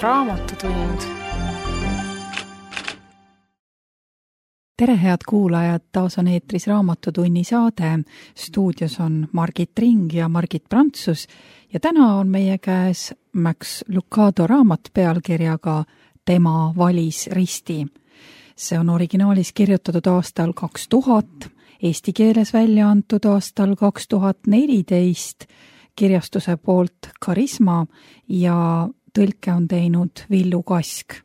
Raamatutund. Tere, head kuulajad, taas on eetris Raamatutunni saade. Stuudios on Margit Ring ja Margit Prantsus ja täna on meie käes Max Lucado raamat pealkirjaga Tema valis risti. See on originaalis kirjutatud aastal 2000, eesti keeles välja antud aastal 2014, kirjastuse poolt Karisma ja tõlke on teinud Villu Kask.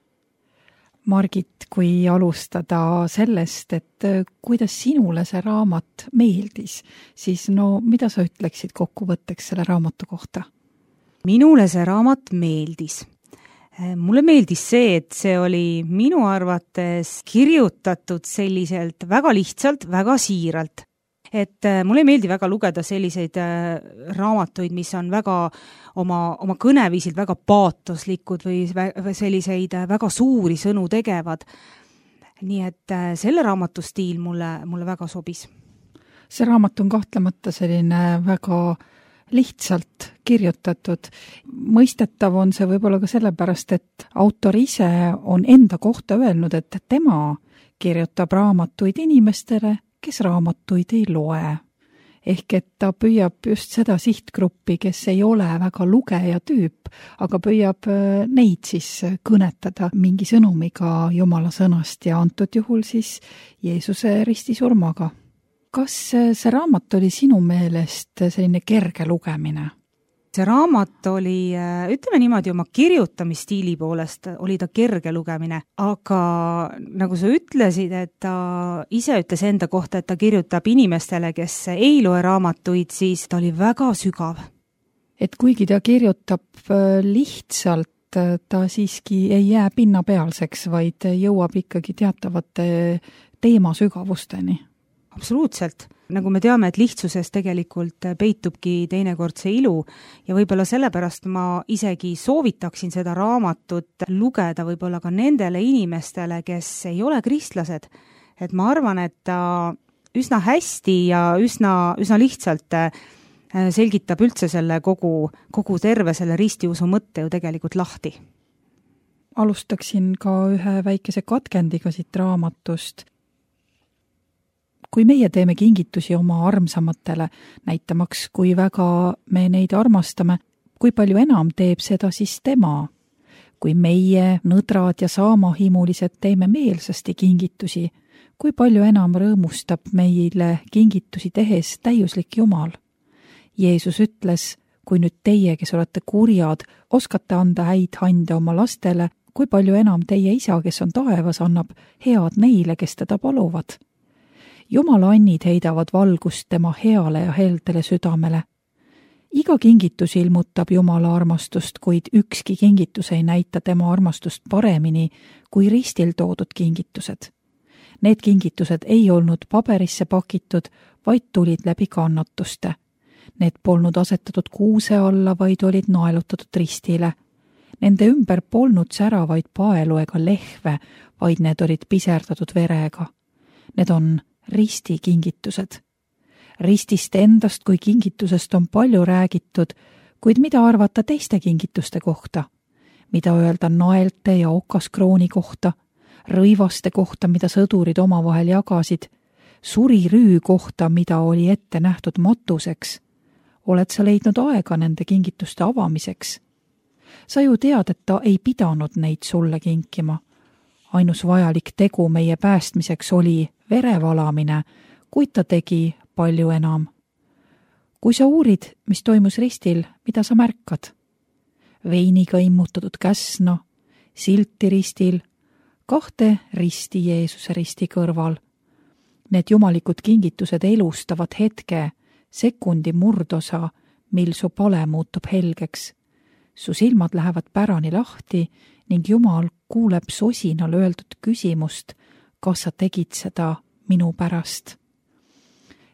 Margit, kui alustada sellest, et kuidas sinule see raamat meeldis, siis mida sa ütleksid kokkuvõtteks selle raamatu kohta? Minule see raamat meeldis. Mulle meeldis see, et see oli minu arvates kirjutatud selliselt väga lihtsalt, väga siiralt. Et mulle ei meeldi väga lugeda selliseid raamatuid, mis on väga oma kõneviisilt väga paatoslikud või selliseid väga suuri sõnu tegevad. Nii et selle raamatu stiil mulle väga sobis. See raamat on kahtlemata selline väga lihtsalt kirjutatud. Mõistetav on see võib-olla ka sellepärast, et autor ise on enda kohta öelnud, et tema kirjutab raamatuid inimestele, kes raamatuid ei loe. Ehk et ta püüab just seda sihtgruppi, kes ei ole väga lugeja tüüp, aga püüab neid siis kõnetada mingi sõnumiga Jumala sõnast ja antud juhul siis Jeesuse ristisurmaga. Kas see raamat oli sinu meelest selline kerge lugemine? See raamat oli, ütleme niimoodi, oma kirjutamisstiili poolest oli ta kerge lugemine, aga nagu sa ütlesid, et ta ise ütles enda kohta, et ta kirjutab inimestele, kes ei loe raamatuid, siis ta oli väga sügav. Et kuigi ta kirjutab lihtsalt, ta siiski ei jää pinnapealseks, vaid jõuab ikkagi teatavate teema sügavusteni. Absoluutselt. Nagu me teame, et lihtsuses tegelikult peitubki teinekord see ilu ja võib-olla sellepärast ma isegi soovitaksin seda raamatut lugeda võib-olla ka nendele inimestele, kes ei ole kristlased. Et ma arvan, et ta üsna hästi ja üsna lihtsalt selgitab üldse selle kogu terve selle ristiusu mõtte ju tegelikult lahti. Alustaksin ka ühe väikese katkendiga siit raamatust. Kui meie teeme kingitusi oma armsamatele, näitamaks, kui väga me neid armastame, kui palju enam teeb seda siis tema. Kui meie, nõdrad ja saamahimulised teeme meelsasti kingitusi, kui palju enam rõõmustab meile kingitusi tehes täiuslik Jumal. Jeesus ütles, kui nüüd teie, kes olete kurjad, oskate anda häid hande oma lastele, kui palju enam teie isa, kes on taevas, annab head neile, kes teda paluvad. Jumala annid heidavad valgust tema heale ja heldele südamele. Iga kingitus ilmutab Jumala armastust, kuid ükski kingitus ei näita tema armastust paremini kui ristil toodud kingitused. Need kingitused ei olnud paberisse pakitud, vaid tulid läbi kannatuste. Need polnud asetatud kuuse alla, vaid olid naelutatud ristile. Nende ümber polnud säravaid paelu ega lehve, vaid need olid piserdatud verega. Need on ristikingitused. Ristist endast kui kingitusest on palju räägitud, kuid mida arvata teiste kingituste kohta? Mida öelda naelte ja okaskrooni kohta, rõivaste kohta, mida sõdurid omavahel jagasid, surirüü kohta, mida oli ette nähtud matuseks? Oled sa leidnud aega nende kingituste avamiseks? Sa ju tead, et ta ei pidanud neid sulle kinkima. Ainus vajalik tegu meie päästmiseks oli verevalamine, kuid ta tegi palju enam. Kui sa uurid, mis toimus ristil, mida sa märkad? Veiniga immutatud käsna, silti ristil, 2 risti Jeesuse risti kõrval. Need jumalikud kingitused elustavad hetke, sekundi murdosa, mil su pale muutub helgeks. Su silmad lähevad pärani lahti ning Jumal kuuleb sosinal öeldud küsimust, kas sa tegid seda minu pärast.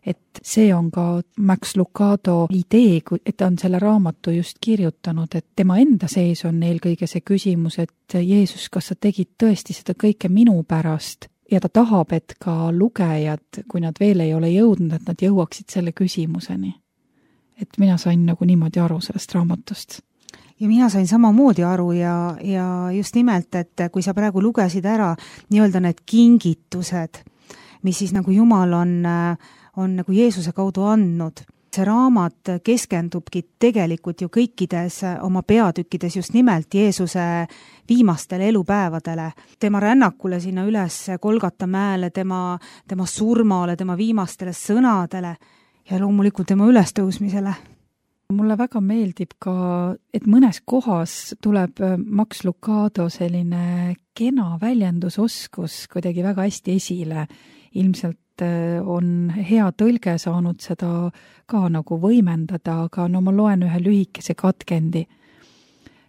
Et see on ka Max Lucado idee, et ta on selle raamatu just kirjutanud, et tema enda sees on eelkõige see küsimus, et Jeesus, kas sa tegid tõesti seda kõike minu pärast? Ja ta tahab, et ka lugejad, kui nad veel ei ole jõudnud, et nad jõuaksid selle küsimuseni. Et mina sain nagu niimoodi aru sellest raamatust. ja mina sain samamoodi aru ja just nimelt, et kui sa praegu lugesid ära nii-öelda need kingitused, mis siis nagu Jumal on nagu Jeesuse kaudu andnud, see raamat keskendubki tegelikult ju kõikides oma peatükkides just nimelt Jeesuse viimastele elupäevadele, tema rännakule sinna üles Golgata mäele, tema surmale, tema viimastele sõnadele ja loomulikult tema ülestõusmisele. Mulle väga meeldib ka, et mõnes kohas tuleb Max Lucado selline kena väljendusoskus kuidagi väga hästi esile. Ilmselt on hea tõlge saanud seda ka nagu võimendada, aga no ma loen ühe lühikese katkendi.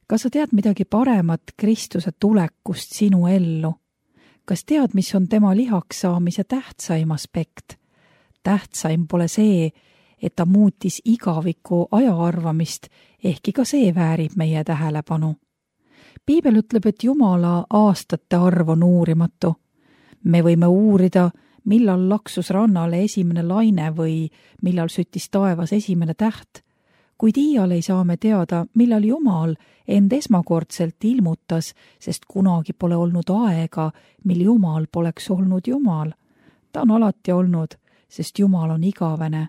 Kas sa tead midagi paremat Kristuse tulekust sinu ellu? Kas tead, mis on tema lihaks saamise tähtsaim aspekt? Tähtsaim pole see, et ta muutis igaviku ajaarvamist, ehkki ka see väärib meie tähelepanu. Piibel ütleb, et Jumala aastate arv on uurimatu. Me võime uurida, millal laksus rannale esimene laine või millal süttis taevas esimene täht, kuid iial ei saa me teada, millal Jumal end esmakordselt ilmutas, sest kunagi pole olnud aega, mil Jumal poleks olnud Jumal. Ta on alati olnud, sest Jumal on igavene.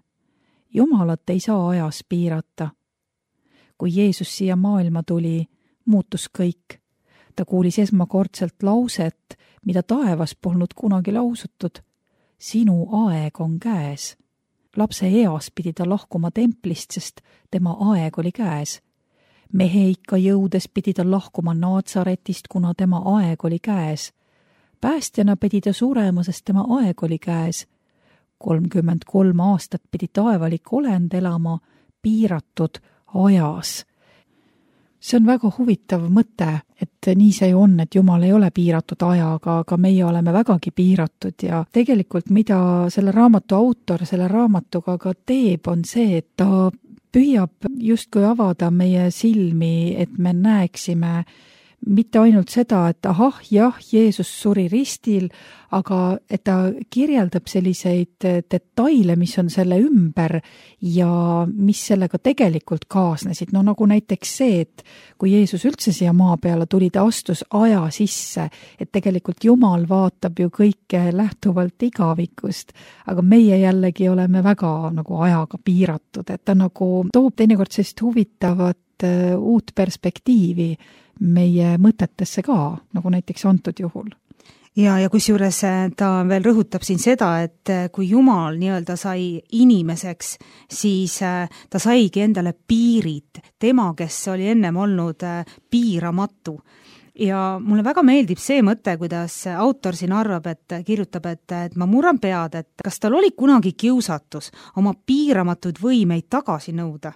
Jumalat ei saa ajas piirata. Kui Jeesus siia maailma tuli, muutus kõik. Ta kuulis esmakordselt lauset, mida taevas polnud kunagi lausutud. Sinu aeg on käes. Lapse eas pidi ta lahkuma templist, sest tema aeg oli käes. Mehe ikka jõudes pidi ta lahkuma Naatsaretist, kuna tema aeg oli käes. Päästjana pidi ta surema, sest tema aeg oli käes. 33 aastat pidi taevalik olend elama piiratud ajas. See on väga huvitav mõte, et nii see on, et Jumal ei ole piiratud ajaga, aga meie oleme vägagi piiratud ja tegelikult mida selle raamatu autor selle raamatuga ka teeb, on see, et ta püüab justkui avada meie silmi, et me näeksime mitte ainult seda, et ahah, jah, Jeesus suri ristil, aga et ta kirjeldab selliseid detaile, mis on selle ümber ja mis sellega tegelikult kaasnesid. No nagu näiteks see, et kui Jeesus üldse siia maa peale tuli, ta astus aja sisse, et tegelikult Jumal vaatab ju kõike lähtuvalt igavikust, aga meie jällegi oleme väga nagu ajaga piiratud, et ta nagu toob teinekord sellist huvitavat uut perspektiivi meie mõtetesse ka, nagu näiteks antud juhul. Ja kusjuures ta veel rõhutab siin seda, et kui Jumal nii-öelda sai inimeseks, siis ta saigi endale piirid, tema, kes oli ennem olnud piiramatu. Ja mulle väga meeldib see mõte, kuidas autor siin arvab, et kirjutab, et ma murran pead, et kas tal oli kunagi kiusatus oma piiramatuid võimeid tagasi nõuda.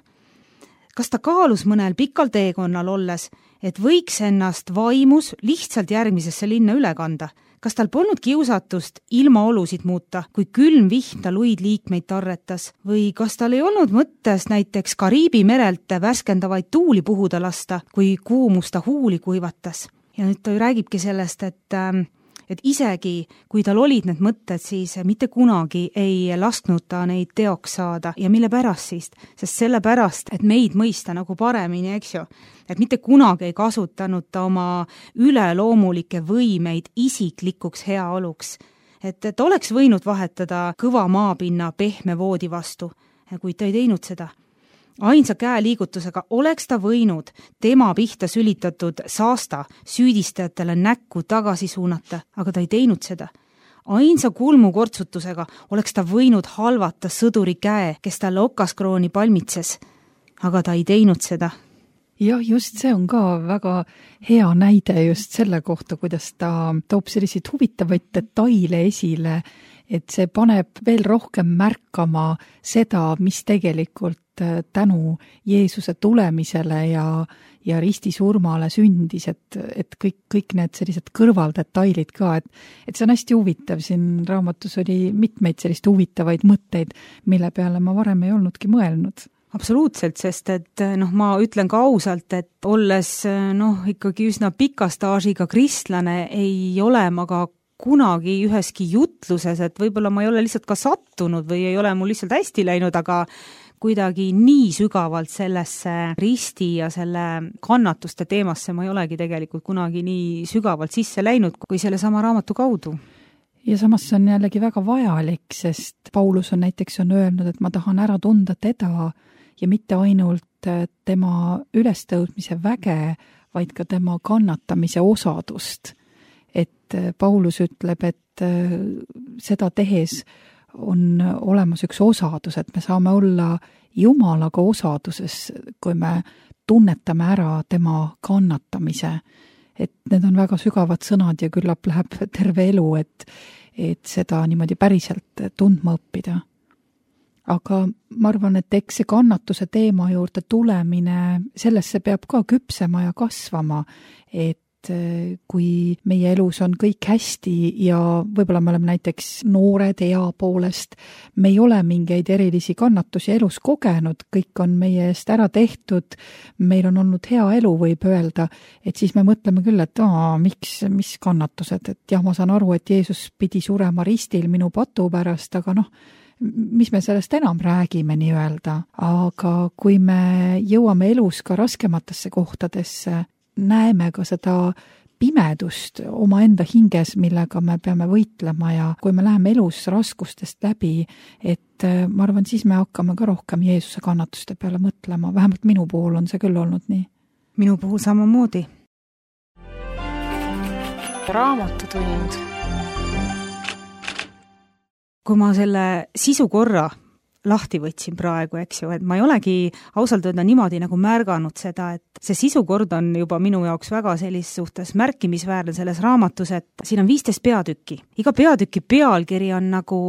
Kas ta kaalus mõnel pikal teekonnal olles, et võiks ennast vaimus lihtsalt järgmisesse linna üle kanda? Kas tal polnud kiusatust ilmaolusid muuta, kui külm vihm ta luid liikmeid tarretas? Või kas tal ei olnud mõttes näiteks Kariibi merelt värskendavaid tuuli puhuda lasta, kui kuumus ta huuli kuivatas? Ja nüüd ta räägibki sellest, et isegi kui tal olid need mõtted, siis mitte kunagi ei lasknud ta neid teoks saada. Ja mille pärast siis? Sest selle pärast, et meid mõista nagu paremini, eks ju. Et mitte kunagi ei kasutanud ta oma üleloomulikke võimeid isiklikuks heaoluks. Et oleks võinud vahetada kõva maapinna pehme voodi vastu, kuid ta ei teinud seda. Ainsa käeliigutusega oleks ta võinud tema pihta sülitatud saasta süüdistajatele näkku tagasi suunata, aga ta ei teinud seda. Ainsa kulmu kortsutusega oleks ta võinud halvata sõduri käe, kes talle okaskrooni palmitses, aga ta ei teinud seda. Jah, just see on ka väga hea näide just selle kohta, kuidas ta toob selliseid huvitavaid detaile esile, et see paneb veel rohkem märkama seda, mis tegelikult tänu Jeesuse tulemisele ja ristisurmale sündis, et kõik need sellised kõrvaldetailid ka, et see on hästi huvitav. Siin raamatus oli mitmeid sellist huvitavaid mõtteid, mille peale ma varem ei olnudki mõelnud. Absoluutselt, sest et ma ütlen ka ausalt, et olles ikkagi üsna pika staažiga kristlane, ei ole ma ka kunagi üheski jutluses, et võib-olla ma ei ole lihtsalt ka sattunud või ei ole mul lihtsalt hästi läinud, aga kuidagi nii sügavalt sellesse risti ja selle kannatuste teemasse ma ei olegi tegelikult kunagi nii sügavalt sisse läinud, kui selle sama raamatu kaudu. Ja samas see on jällegi väga vajalik, sest Paulus on näiteks öelnud, et ma tahan ära tunda teda ja mitte ainult tema ülestõudmise väge, vaid ka tema kannatamise osadust. Et Paulus ütleb, et seda tehes on olemas üks osadus, et me saame olla Jumalaga osaduses, kui me tunnetame ära tema kannatamise. Et need on väga sügavad sõnad ja küllap läheb terve elu, et seda niimoodi päriselt tundma õppida. Aga ma arvan, et eks see kannatuse teema juurde tulemine, sellesse peab ka küpsema ja kasvama, et kui meie elus on kõik hästi ja võib-olla me oleme näiteks noored ea poolest, me ei ole mingeid erilisi kannatusi elus kogenud, kõik on meie eest ära tehtud, meil on olnud hea elu, võib öelda, et siis me mõtleme küll, et mis kannatused, et jah, ma saan aru, et Jeesus pidi surema ristil minu patu pärast, aga mis me sellest enam räägime nii-öelda, aga kui me jõuame elus ka raskematesse kohtadesse, näeme ka seda pimedust omaenda hinges, millega me peame võitlema ja kui me läheme elus raskustest läbi, et ma arvan, siis me hakkame ka rohkem Jeesuse kannatuste peale mõtlema, vähemalt minu puhul on see küll olnud nii. Minu puhul samamoodi. Raamatutund. Kui ma selle sisu korra lahti võtsin praegu, eks ju, et ma ei olegi ausalt öelda niimoodi nagu märganud seda, et see sisukord on juba minu jaoks väga sellis suhtes märkimisväärne selles raamatus, et siin on 15 peatükki. Iga peatüki pealkiri on nagu,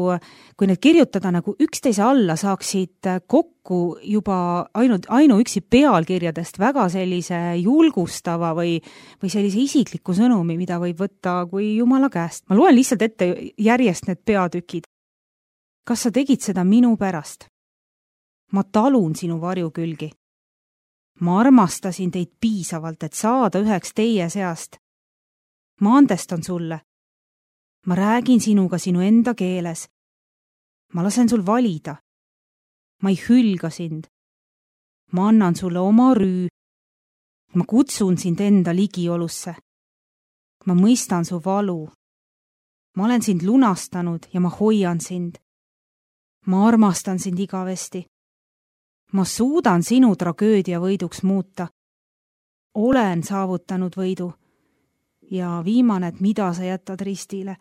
kui need kirjutada nagu üksteise alla, saaksid kokku juba ainuüksi pealkirjadest väga sellise julgustava või sellise isikliku sõnumi, mida võib võtta kui Jumala käest. Ma loen lihtsalt ette järjest need peatükid. Kas sa tegid seda minu pärast? Ma talun sinu varjukülgi. Ma armastasin teid piisavalt, et saada üheks teie seast. Ma andestan sulle. Ma räägin sinuga sinu enda keeles. Ma lasen sul valida. Ma ei hülga sind. Ma annan sulle oma rüü. Ma kutsun sind enda ligiolusse. Ma mõistan su valu. Ma olen sind lunastanud ja ma hoian sind. Ma armastan sind igavesti. Ma suudan sinu tragöödia võiduks muuta. Olen saavutanud võidu. Ja viimane, et mida sa jätad ristile.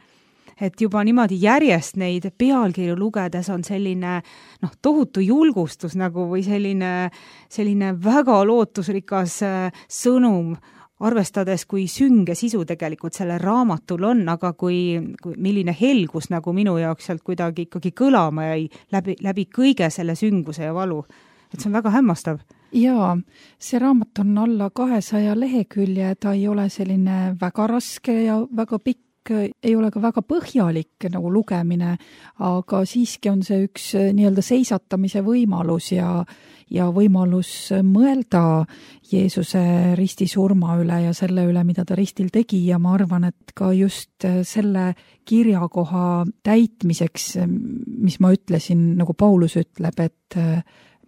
Et juba niimoodi järjest neid pealkirju lugedes on selline tohutu julgustus nagu või selline väga lootusrikas sõnum, arvestades, kui sünge sisu tegelikult sellel raamatul on, aga kui milline helgus nagu minu jaoks sealt kuidagi ikkagi kõlama jäi läbi kõige selle sünguse ja valu. Et see on väga hämmastav. Jaa, see raamat on alla 200 lehekülje, ta ei ole selline väga raske ja väga pikk, ei ole ka väga põhjalik nagu lugemine, aga siiski on see üks nii-öelda seisatamise võimalus ja võimalus mõelda Jeesuse ristisurma üle ja selle üle, mida ta ristil tegi ja ma arvan, et ka just selle kirjakoha täitmiseks, mis ma ütlesin, nagu Paulus ütleb, et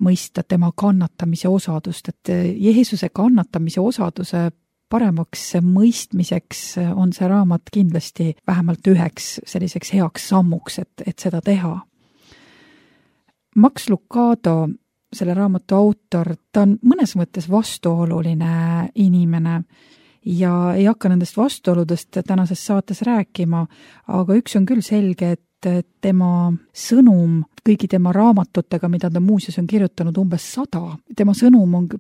mõista tema kannatamise osadust, et Jeesuse kannatamise osaduse paremaks mõistmiseks on see raamat kindlasti vähemalt üheks selliseks heaks sammuks, et seda teha. Max Lucado, selle raamatu autor, ta on mõnes mõttes vastuoluline inimene ja ei hakka nendest vastuoludest tänases saates rääkima, aga üks on küll selge, et tema sõnum kõigi tema raamatutega, mida ta muuseas on kirjutanud umbes 100,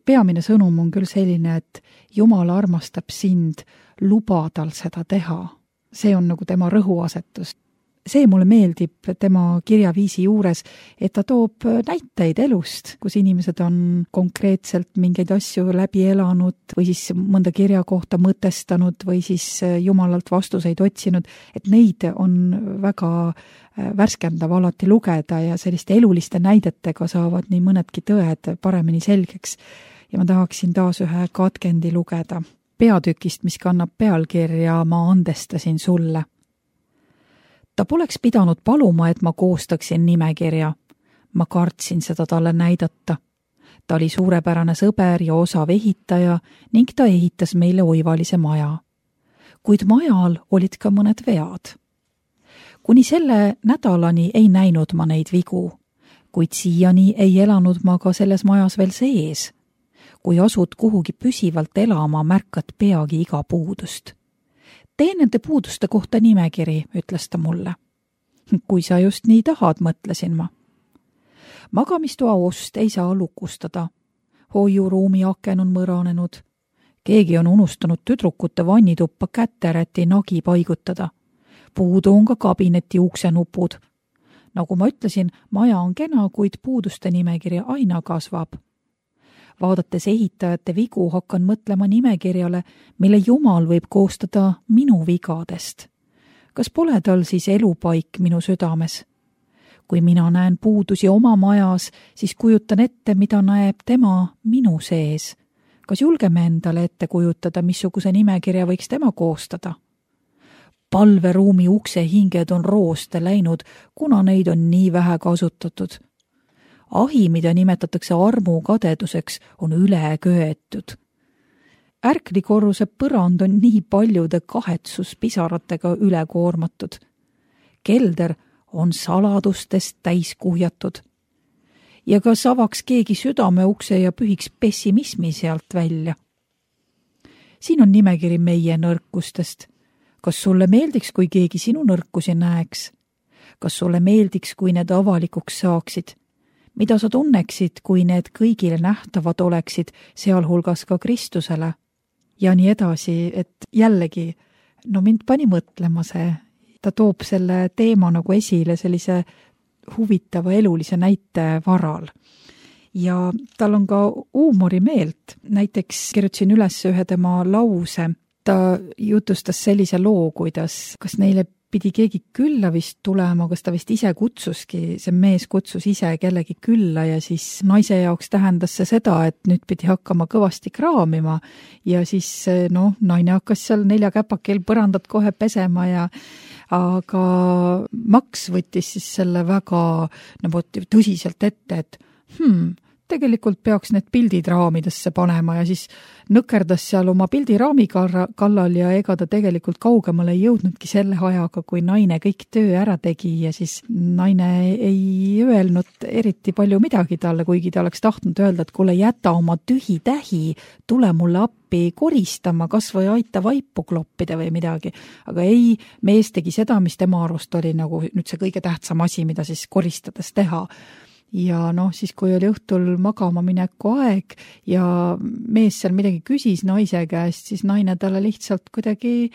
peamine sõnum on küll selline, et Jumal armastab sind, luba tal seda teha. See on nagu tema rõhuasetus. See mulle meeldib tema kirjaviisi juures, et ta toob näiteid elust, kus inimesed on konkreetselt mingeid asju läbi elanud või siis mõnda kirja kohta mõtestanud või siis Jumalalt vastuseid otsinud, et neid on väga värskendav alati lugeda ja selliste eluliste näidetega saavad nii mõnedki tõed paremini selgeks. Ja ma tahaksin taas ühe katkendi lugeda peatükist, mis kannab pealkirja Ma andestasin sulle. Ta poleks pidanud paluma, et ma koostaksin nimekirja. ma kartsin seda talle näidata. Ta oli suurepärane sõber ja osav ehitaja ning ta ehitas meile oivalise maja. Kuid majal olid ka mõned vead. Kuni selle nädalani ei näinud ma neid vigu, kuid siiani ei elanud ma ka selles majas veel sees. Kui asud kuhugi püsivalt elama, märkad peagi iga puudust. Tee nende puuduste kohta nimekiri, ütles ta mulle. Kui sa just nii tahad, mõtlesin ma. Magamistoa ust ei saa lukustada. Hoiuruumi aken on mõranenud. Keegi on unustanud tüdrukute vannituppa käteräti nagi paigutada. Puudu on ka kabineti uksenupud. Nagu ma ütlesin, maja on kena, kuid puuduste nimekiri aina kasvab. Vaadates ehitajate vigu, hakkan mõtlema nimekirjale, mille Jumal võib koostada minu vigadest. Kas pole tal siis elupaik minu südames? Kui mina näen puudusi oma majas, siis kujutan ette, mida näeb tema minu sees. Kas julgeme endale ette kujutada, missuguse nimekirja võiks tema koostada? Palveruumi uksehinged on rooste läinud, kuna neid on nii vähe kasutatud. Ahi, mida nimetatakse armukadeduseks, on üle köetud. Ärklikorruse põrand on nii paljude kahetsuspisaratega üle koormatud. Kelder on saladustest täis kuhjatud. Ja kas avaks keegi südameukse ja pühiks pessimismi sealt välja? Siin on nimekiri meie nõrkustest. Kas sulle meeldiks, kui keegi sinu nõrkusi näeks? Kas sulle meeldiks, kui need avalikuks saaksid? Mida sa tunneksid, kui need kõigile nähtavad oleksid, sealhulgas ka Kristusele? Ja nii edasi, et jällegi, mind pani mõtlema see. Ta toob selle teema nagu esile sellise huvitava elulise näite varal. Ja tal on ka huumorimeelt. Näiteks kirjutasin üles ühe tema lause. Ta jutustas sellise loo, kuidas, kas neile pidi keegi külla vist tulema, kas ta vist ise kutsuski, see mees kutsus ise kellegi külla ja siis naise jaoks tähendas see seda, et nüüd pidi hakkama kõvasti kraamima ja siis naine hakkas seal 4 käpakil põrandat kohe pesema aga Max võttis siis selle väga tõsiselt ette, et tegelikult peaks need pildid raamidesse panema ja siis nõkerdas seal oma pildiraami kallal ja ega ta tegelikult kaugemale ei jõudnudki selle ajaga, kui naine kõik töö ära tegi ja siis naine ei öelnud eriti palju midagi talle, kuigi ta oleks tahtnud öelda, et kuule, jäta oma tühi tähi, tule mulle appi koristama, kas või aita vaipu kloppida või midagi. Aga ei, mees tegi seda, mis tema arvust oli nagu nüüd see kõige tähtsam asi, mida siis koristades teha. Ja siis kui oli õhtul magama mineku aeg ja mees seal midagi küsis naise käest, siis naine talle lihtsalt kuidagi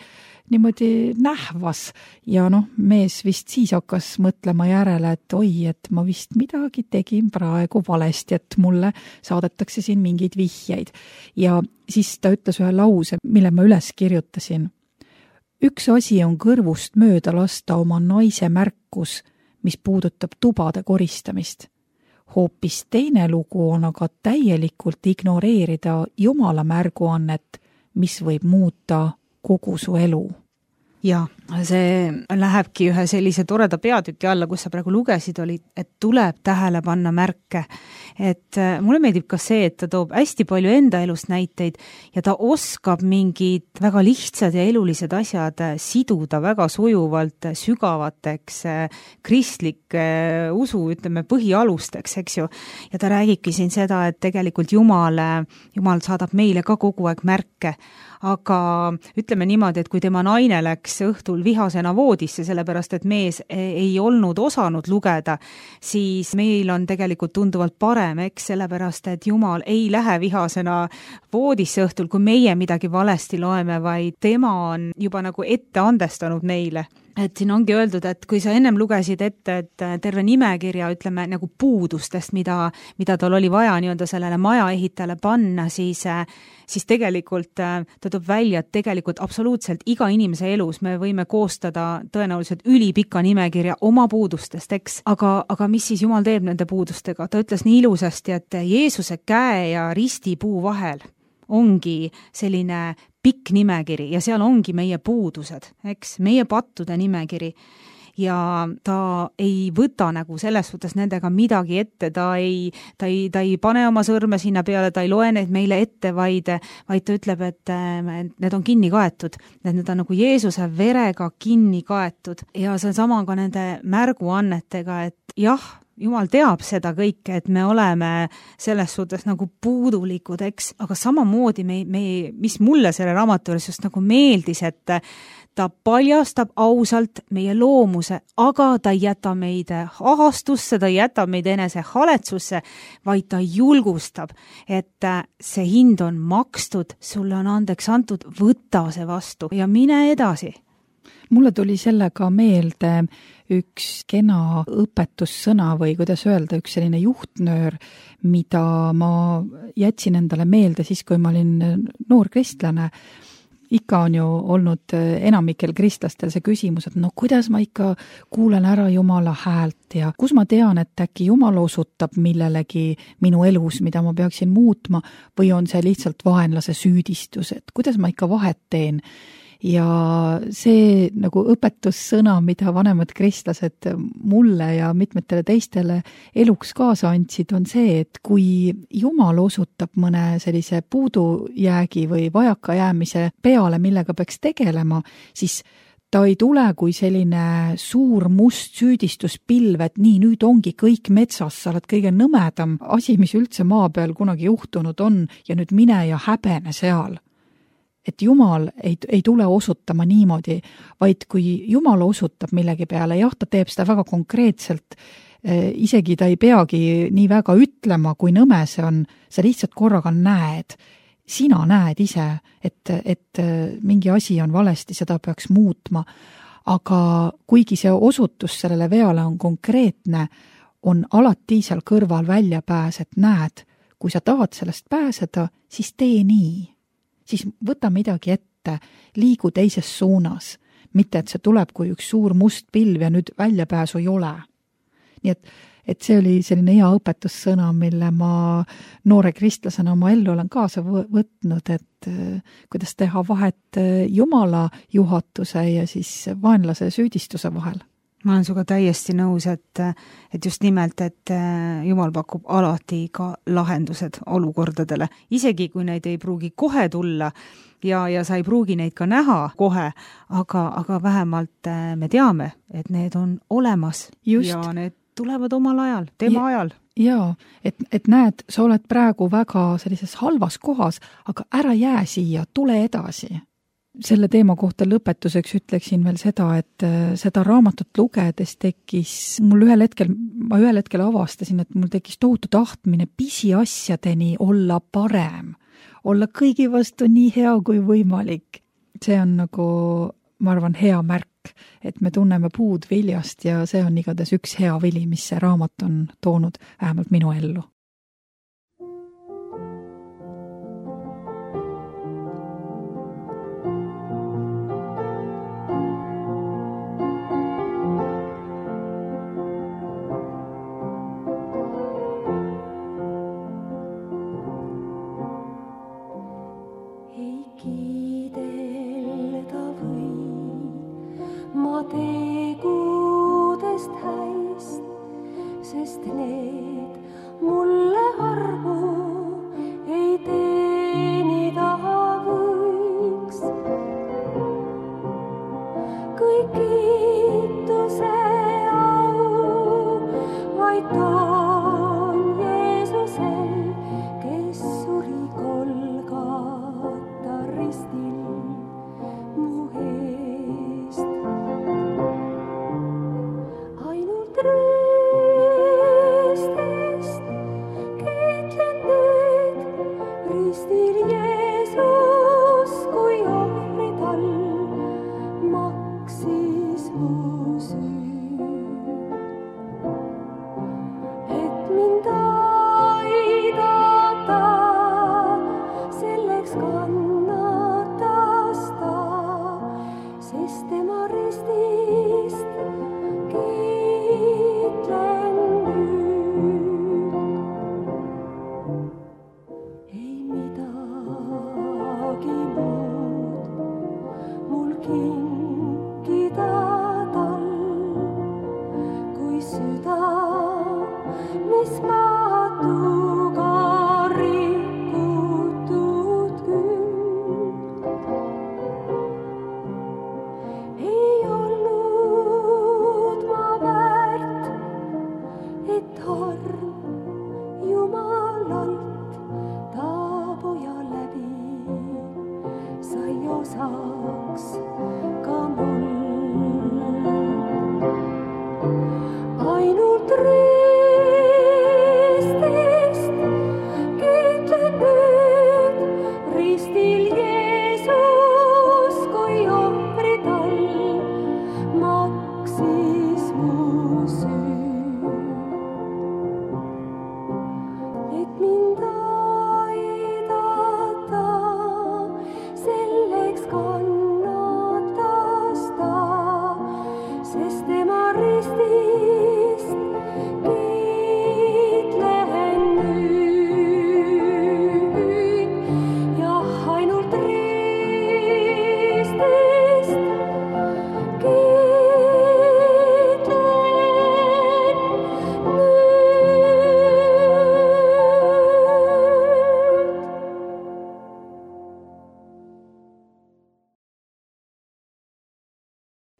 niimoodi nähvas ja mees vist siis hakkas mõtlema järele, et oi, et ma vist midagi tegin praegu valesti, et mulle saadetakse siin mingeid vihjeid. Ja siis ta ütles ühe lause, mille ma üles kirjutasin. Üks asi on kõrvust mööda lasta oma naise märkus, mis puudutab tubade koristamist. Hoopis teine lugu on aga täielikult ignoreerida Jumala märguannet, mis võib muuta kogu su elu. Ja see lähebki ühe sellise toreda peatüki alla, kus sa praegu lugesid, oli, et tuleb tähele panna märke. Et mulle meeldib ka see, et ta toob hästi palju enda elust näiteid ja ta oskab mingid väga lihtsad ja elulised asjad siduda väga sujuvalt sügavateks kristlike usu, põhialusteks, eks ju. Ja ta räägibki siin seda, et tegelikult Jumal saadab meile ka kogu aeg märke. Aga ütleme niimoodi, et kui tema naine läks õhtul vihasena voodisse, sellepärast et mees ei olnud osanud lugeda, siis meil on tegelikult tunduvalt parem, eks, sellepärast et Jumal ei lähe vihasena voodisse õhtul, kui meie midagi valesti loeme, vaid tema on juba nagu ette andestanud meile. Et siin ongi öeldud, et kui sa ennem lugesid ette, et terve nimekirja, nagu puudustest, mida tal oli vaja sellele maja ehitajale panna, siis tegelikult ta toob välja, et tegelikult absoluutselt iga inimese elus me võime koostada tõenäoliselt ülipika nimekirja oma puudustest, eks. Aga mis siis Jumal teeb nende puudustega? Ta ütles nii ilusasti, et Jeesuse käe ja ristipuu vahel ongi selline pikk nimekiri ja seal ongi meie puudused, eks, meie pattude nimekiri. ja ta ei võta nagu selles suhtes nendega midagi ette, ta ei pane oma sõrme sinna peale, ta ei loe neid meile ette, vaid ta ütleb, et need on kinni kaetud, need on nagu Jeesuse verega kinni kaetud ja see on sama ka nende märguannetega, et jah, Jumal teab seda kõike, et me oleme selles suhtes nagu puudulikud, eks, aga samamoodi mis mulle selle raamatu juures just nagu meeldis, et ta paljastab ausalt meie loomuse, aga ta ei jäta meid ahastusse, ta ei jäta meid enese haletsusse, vaid ta julgustab, et see hind on makstud, sulle on andeks antud, võta see vastu ja mine edasi. Mulle tuli sellega meelde üks kena õpetussõna või kuidas öelda, üks selline juhtnöör, mida ma jätsin endale meelde siis, kui ma olin noor kristlane. Ikka on ju olnud enamikel kristlastel see küsimus, et no kuidas ma ikka kuulen ära Jumala häält ja kus ma tean, et äkki Jumal osutab millelegi minu elus, mida ma peaksin muutma või on see lihtsalt vaenlase süüdistus, et kuidas ma ikka vahet teen. Ja see nagu õpetussõna, mida vanemad kristlased mulle ja mitmetele teistele eluks kaasa andsid, on see, et kui Jumal osutab mõne sellise puudujäägi või vajakajäämise peale, millega peaks tegelema, siis ta ei tule kui selline suur must süüdistuspilv, et nii, nüüd ongi kõik metsas, sa oled kõige nõmedam asi, mis üldse maa peal kunagi juhtunud on ja nüüd mine ja häbene seal. Et Jumal ei tule osutama niimoodi, vaid kui Jumal osutab millegi peale, jah, ta teeb seda väga konkreetselt, isegi ta ei peagi nii väga ütlema, kui nõme see on, sa lihtsalt korraga näed, sina näed ise, et mingi asi on valesti, seda peaks muutma, aga kuigi see osutus sellele veale on konkreetne, on alati seal kõrval väljapääs, et näed, kui sa tahad sellest pääseda, siis tee nii. Siis võta midagi ette, liigu teises suunas, mitte et see tuleb kui üks suur must pilv ja nüüd väljapääsu ei ole. Nii et see oli selline hea õpetussõna, mille ma noore kristlasena oma ellu olen kaasa võtnud, et kuidas teha vahet Jumala juhatuse ja siis vaenlase süüdistuse vahel. Ma olen suga täiesti nõus, et just nimelt, et Jumal pakub alati ka lahendused olukordadele, isegi kui neid ei pruugi kohe tulla ja sa ei pruugi neid ka näha kohe, aga vähemalt me teame, et need on olemas just. Ja need tulevad omal ajal, tema ajal. Jaa, et näed, sa oled praegu väga sellises halvas kohas, aga ära jää siia, tule edasi. Selle teema kohta lõpetuseks ütleksin veel seda, et seda raamatut lugedes ma ühel hetkel avastasin, et mul tekkis tohutu tahtmine pisiasjadeni olla parem, olla kõigi vastu nii hea kui võimalik. See on nagu, ma arvan, hea märk, et me tunneme puud viljast ja see on igatahes üks hea vili, mis see raamat on toonud vähemalt minu ellu. Maksis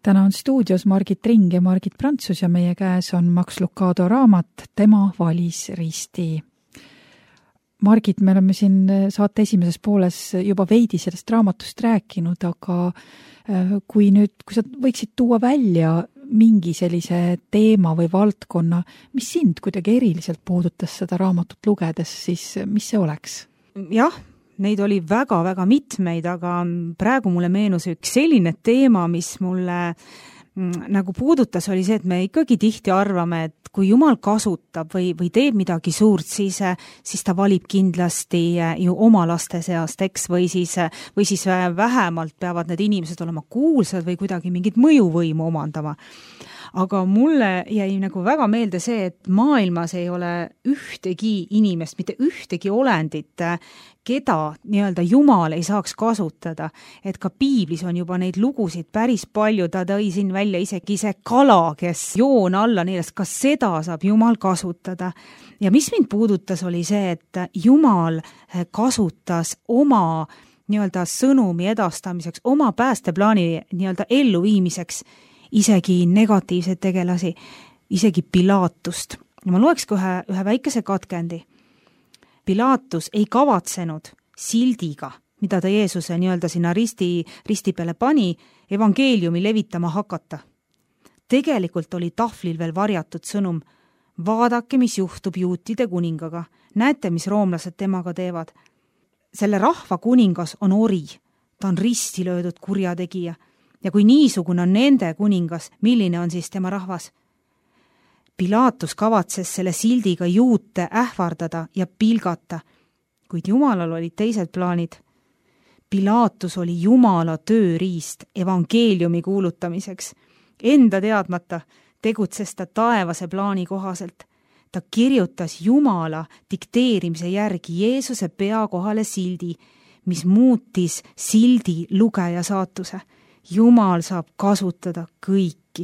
Täna on stuudios Margit Ring ja Margit Prantsus ja meie käes on Max Lucado raamat Tema valis risti. Margit, me oleme siin saate esimeses pooles juba veidi sellest raamatust rääkinud, aga kui sa võiksid tuua välja mingi sellise teema või valdkonna, mis sind kuidagi eriliselt puudutas seda raamatut lugedes, siis mis see oleks? Jah, neid oli väga-väga mitmeid, aga praegu mulle meenus üks selline teema, mis mulle nagu puudutas, oli see, et me ikkagi tihti arvame, et kui Jumal kasutab või teeb midagi suurt, siis ta valib kindlasti ju oma laste seast, eks, või siis vähemalt peavad need inimesed olema kuulsad või kuidagi mingit mõjuvõimu omandama. Aga mulle jäi nagu väga meelde see, et maailmas ei ole ühtegi inimest, mitte ühtegi olendit, keda nii-öelda Jumal ei saaks kasutada. Et ka piiblis on juba neid lugusid päris palju, ta tõi siin välja isegi see kala, kes joon alla neelest, kas seda saab Jumal kasutada. Ja mis mind puudutas, oli see, et Jumal kasutas oma nii-öelda sõnumi edastamiseks, oma päästeplaani nii-öelda elluviimiseks isegi negatiivseid tegelasi, isegi Pilaatust. Ja ma loeks ka ühe väikese katkendi. Pilaatus ei kavatsenud sildiga, mida ta Jeesuse nii-öelda sinna risti peale pani, evangeeliumi levitama hakata. Tegelikult oli tahvlil veel varjatud sõnum. Vaadake, mis juhtub juutide kuningaga. Näete, mis roomlased temaga teevad. Selle rahva kuningas on ori. Ta on risti löödud kurjategija. Ja kui niisugune on nende kuningas, milline on siis tema rahvas? Pilaatus kavatses selle sildiga juute ähvardada ja pilgata, kuid Jumalal olid teised plaanid. Pilaatus oli Jumala tööriist evangeeliumi kuulutamiseks. Enda teadmata tegutses ta taevase plaani kohaselt. Ta kirjutas Jumala dikteerimise järgi Jeesuse pea kohale sildi, mis muutis sildi lugeja saatuse. Jumal saab kasutada kõiki.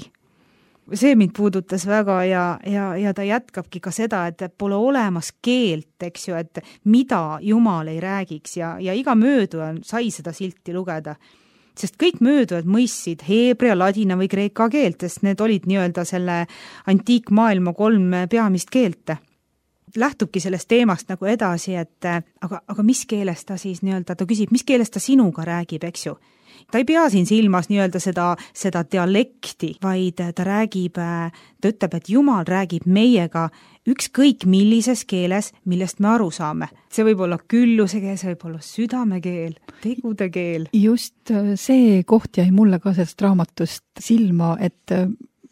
See mind puudutas väga ja ta jätkabki ka seda, et pole olemas keelt, eks ju, et mida Jumal ei räägiks ja iga mööduja sai seda silti lugeda. Sest kõik möödujad mõistsid heebrea, ladina või kreeka keelt, sest need olid nii-öelda selle antiikmaailma 3 peamist keelt. Lähtubki sellest teemast nagu edasi, et aga mis keeles ta siis nii-öelda, ta küsib, mis keeles ta sinuga räägib, eks ju. Ta ei pea siin silmas nii-öelda seda dialekti, vaid ta ütleb, et Jumal räägib meiega ükskõik millises keeles, millest me aru saame. See võib olla külluse keel, see võib olla südamekeel, tegude keel. Just see koht jäi mulle ka sellest raamatust silma, et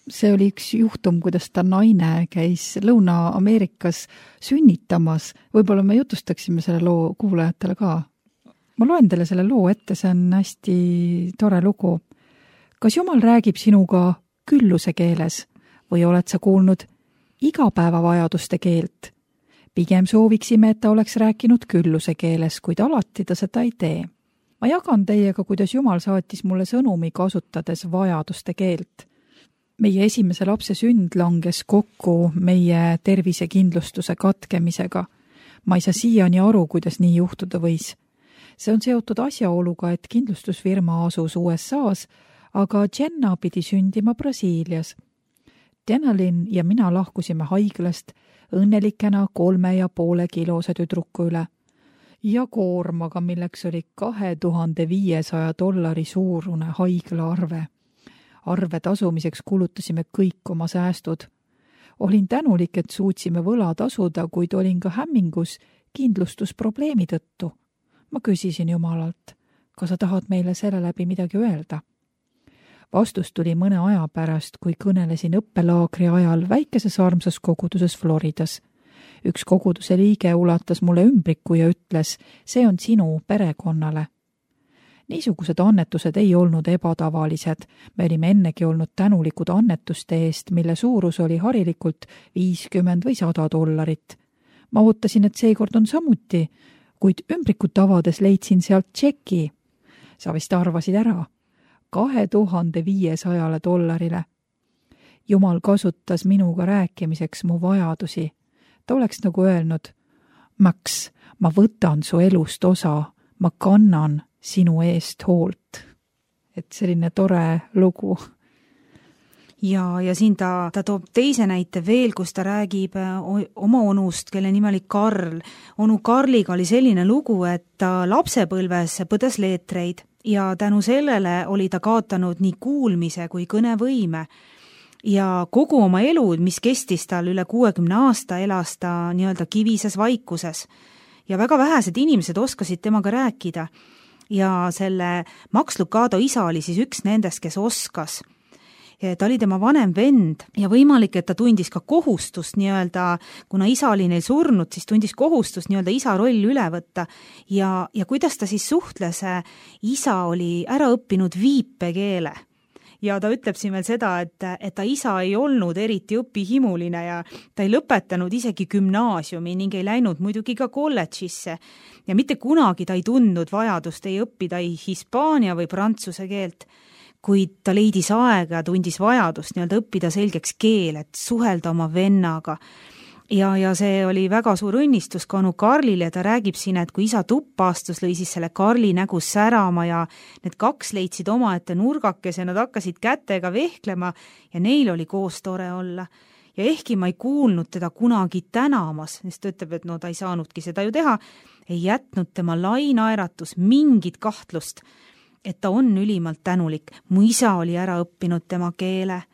see oli üks juhtum, kuidas ta naine käis Lõuna-Ameerikas sünnitamas. Võib-olla me jutustaksime selle loo kuulajatele ka. Ma loen teile selle loo ette, see on hästi tore lugu. Kas Jumal räägib sinuga külluse keeles või oled sa kuulnud igapäevavajaduste keelt? Pigem sooviksime, et ta oleks rääkinud külluse keeles, kuid alati ta seda ei tee. Ma jagan teiega, kuidas Jumal saatis mulle sõnumi kasutades vajaduste keelt. meie esimese lapse sünd langes kokku meie tervisekindlustuse katkemisega. Ma ei saa siiani aru, kuidas nii juhtuda võis. See on seotud asjaoluga, et kindlustusfirma asus USA-s, aga Jenna pidi sündima Brasiilias. Denalin ja mina lahkusime haiglast õnnelikena 3,5 kilose tüdruku üle ja koormaga, milleks oli $2500 suurune haiglaarve. Arve tasumiseks kulutasime kõik oma säästud. Olin tänulik, et suutsime võla tasuda, kuid olin ka hämmingus kindlustusprobleemi tõttu. Ma küsisin Jumalalt, kas sa tahad meile selle läbi midagi öelda? Vastus tuli mõne aja pärast, kui kõnelesin õppelaagri ajal väikeses armsas koguduses Floridas. Üks koguduse liige ulatas mulle ümbriku ja ütles, see on sinu perekonnale. Niisugused annetused ei olnud ebatavalised. Me olime ennegi olnud tänulikud annetuste eest, mille suurus oli harilikult $50 või $100. Ma ootasin, et seekord on samuti, kuid ümbrikut avades leidsin sealt tšeki. Sa vist arvasid ära. $2500. Jumal kasutas minuga rääkimiseks mu vajadusi. Ta oleks nagu öelnud, Max, ma võtan su elust osa, ma kannan sinu eest hoolt. Et selline tore lugu. Ja siin ta toob teise näite veel, kus ta räägib oma onust, kelle nimi oli Karl. Onu Karliga oli selline lugu, et ta lapsepõlves põdes leetreid ja tänu sellele oli ta kaotanud nii kuulmise kui kõnevõime. Ja kogu oma elu, mis kestis tal üle 60 aasta, elas ta nii-öelda kivises vaikuses. Ja väga vähesed inimesed oskasid temaga rääkida. Ja selle Max Lucado isa oli siis üks nendest, kes oskas. Ta oli tema vanem vend ja võimalik, et ta tundis ka kohustust nii-öelda, kuna isa oli neil surnud, siis tundis kohustust nii-öelda isa roll üle võtta. Ja kuidas ta siis suhtles, isa oli ära õppinud viipekeele. Ja ta ütleb siin veel seda, et ta isa ei olnud eriti õpihimuline ja ta ei lõpetanud isegi gümnaasiumi ning ei läinud muidugi ka kolledžisse. Ja mitte kunagi ta ei tundnud vajadust ei õppida ei hispaania või prantsuse keelt, kuid ta leidis aega ja tundis vajadust nii-öelda õppida selgeks keel, et suhelda oma vennaga. Ja see oli väga suur õnnistus ka onu Karlile, ta räägib siin, et kui isa tuppa astus, lõi siis selle Karli nägu särama ja need kaks leidsid omaette nurgakese, nad hakkasid kätega vehklema ja neil oli koos tore olla. Ja ehkki ma ei kuulnud teda kunagi tänamas, sest ta ütleb, et no ta ei saanudki seda ju teha, ei jätnud tema lainaeratus mingit kahtlust, et ta on ülimalt tänulik. Mu isa oli ära õppinud tema keele.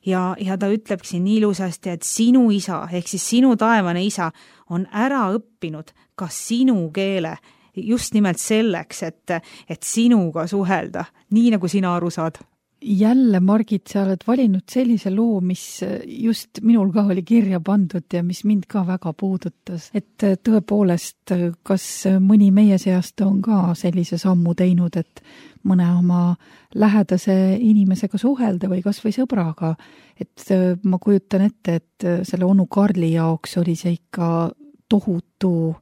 Ja ta ütleb siin nii ilusasti, et sinu isa, ehk siis sinu taevane isa on ära õppinud ka sinu keele just nimelt selleks, et sinuga suhelda, nii nagu sina aru saad. Jälle, Margit, sa oled valinud sellise loo, mis just minul ka oli kirja pandud ja mis mind ka väga puudutas. Et tõepoolest, kas mõni meie seast on ka sellise sammu teinud, et mõne oma lähedase inimesega suhelda või kas või sõbraga. Et ma kujutan ette, et selle onu Karli jaoks oli see ikka tohutu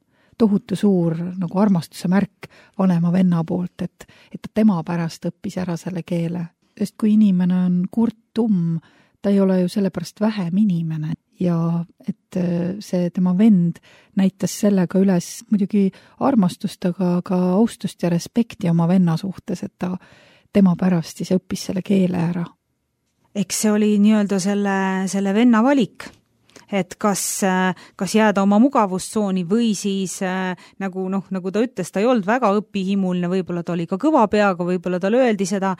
suur nagu armastuse märk vanema venna poolt, et ta tema pärast õppis ära selle keele. Sest kui inimene on kurtum, ta ei ole ju sellepärast vähem inimene ja et see tema vend näitas sellega üles muidugi armastust, aga ka austust ja respekti oma venna suhtes, et ta tema pärast siis õppis selle keele ära. Eks see oli nii-öelda selle venna valik, et kas jääda oma mugavustsooni või siis nagu ta ütles, ta ei olnud väga õpihimuline, võib-olla ta oli ka kõva peaga, võib-olla talle öeldi seda,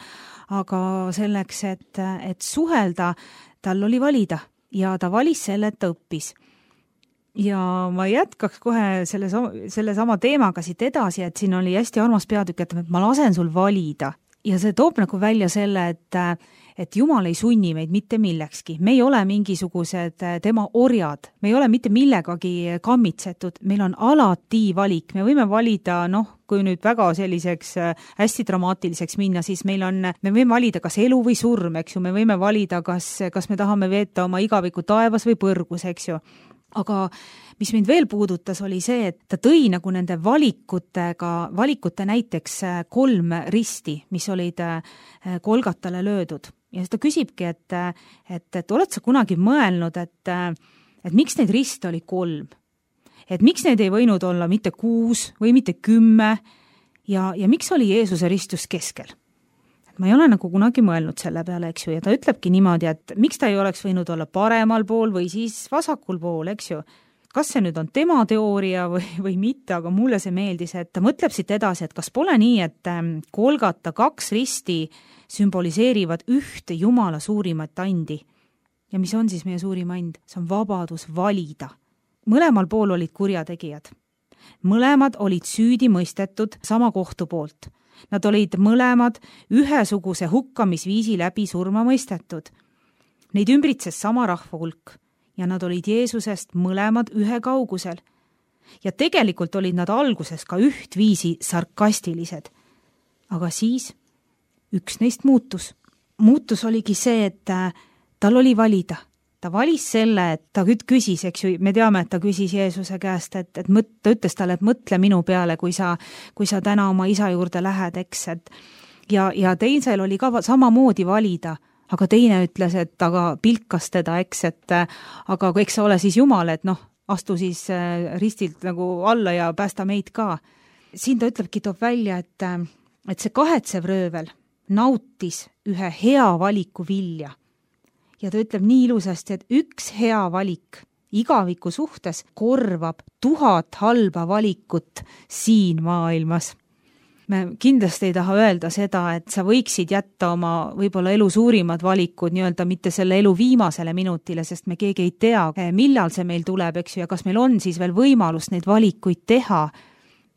aga selleks, et suhelda, tal oli valida ja ta valis selle, et ta õppis. Ja ma jätkaks kohe selle sama teemaga siit edasi, et siin oli hästi armas peatükk, et ma lasen sul valida. Ja see toob nagu välja selle, et Jumal ei sunni meid mitte millekski. Me ei ole mingisugused tema orjad, me ei ole mitte millegagi kammitsetud, meil on alati valik. Me võime valida, kui nüüd väga selliseks hästi dramaatiliseks minna, siis me võime valida kas elu või surm, eks ju, me võime valida, kas me tahame veeta oma igaviku taevas või põrgus, eks ju. Aga mis mind veel puudutas, oli see, et ta tõi nagu nende valikute näiteks 3 risti, mis olid Golgatale löödud. ja siis ta küsibki, et oled sa kunagi mõelnud, et miks neid riste oli 3? Et miks neid ei võinud olla mitte 6 või mitte 10 ja miks oli Jeesuse ristus keskel? Ma ei ole nagu kunagi mõelnud selle peale, eks ju, ja ta ütlebki niimoodi, et miks ta ei oleks võinud olla paremal pool või siis vasakul pool, eks ju. Kas see nüüd on tema teooria või mitte, aga mulle see meeldis, et ta mõtleb siit edasi, et kas pole nii, et Golgata 2 risti sümboliseerivad ühte Jumala suurimat andi. Ja mis on siis meie suurim and? See on vabadus valida. Mõlemal pool olid kurjategijad. Mõlemad olid süüdi mõistetud sama kohtu poolt. Nad olid mõlemad ühesuguse hukkamisviisi läbi surma mõistetud. Neid ümbritses sama rahva hulk. Ja nad olid Jeesusest mõlemad ühe kaugusel. Ja tegelikult olid nad alguses ka ühtviisi sarkastilised. Aga siis üks neist muutus. Muutus oligi see, et tal oli valida. Ta valis selle, et ta küsis, eks ju, me teame, et ta küsis Jeesuse käest, ta ütles talle, et mõtle minu peale, kui sa täna oma isa juurde lähed, eks, ja teisel oli ka samamoodi valida, aga teine ütles, et aga pilkas teda, eks, aga eks sa ole siis Jumal, et astu siis ristilt nagu alla ja päästa meid ka. Siin ta ütlebki, toob välja, et see kahetsev röövel nautis ühe hea valiku vilja. Ja ta ütleb nii ilusasti, et üks hea valik igaviku suhtes korvab 1000 halba valikut siin maailmas. Me kindlasti ei taha öelda seda, et sa võiksid jätta oma võib-olla elu suurimad valikud nii-öelda mitte selle elu viimasele minutile, sest me keegi ei tea, millal see meil tuleb, eks ju, ja kas meil on siis veel võimalus neid valikuid teha.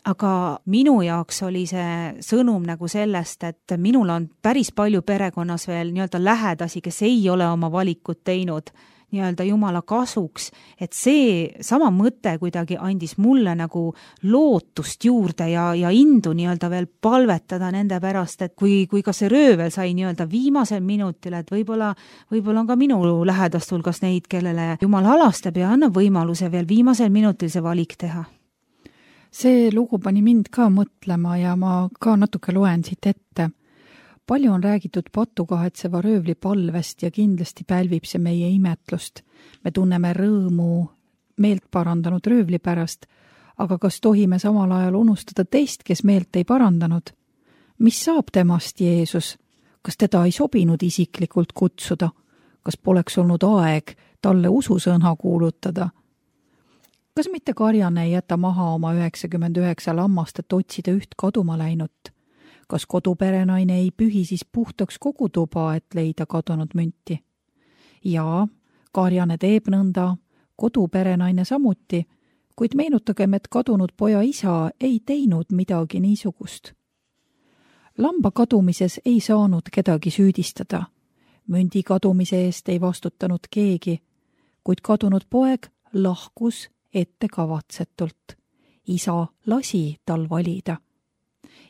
Aga minu jaoks oli see sõnum nagu sellest, et minul on päris palju perekonnas veel nii-öelda lähedasi, kes ei ole oma valikut teinud nii-öelda Jumala kasuks, et see sama mõte kuidagi andis mulle nagu lootust juurde ja indu nii-öelda veel palvetada nende pärast, et kui ka see röövel sai nii-öelda viimasel minutil, et võib-olla on ka minu lähedast hulgas neid, kellele Jumal halastab ja annab võimaluse veel viimasel minutil see valik teha. See lugu pani mind ka mõtlema ja ma ka natuke loen siit ette. Palju on räägitud patukahetseva röövli palvest ja kindlasti pälvib see meie imetlust. Me tunneme rõõmu meelt parandanud röövli pärast, aga kas tohime samal ajal unustada teist, kes meelt ei parandanud? Mis saab temast, Jeesus? Kas teda ei sobinud isiklikult kutsuda? Kas poleks olnud aeg talle ususõna kuulutada? Kas mitte karjane ei jäta maha oma 99 lammast, et otsida üht kaduma läinut? Kas koduperenaine ei pühi siis puhtaks kogu tuba, et leida kadunud münti? Jaa, karjane teeb nõnda, koduperenaine samuti, kuid meenutagem, et kadunud poja isa ei teinud midagi niisugust. Lamba kadumises ei saanud kedagi süüdistada. Mündi kadumise eest ei vastutanud keegi, kuid kadunud poeg lahkus ettekavatsetult. Isa lasi tal valida.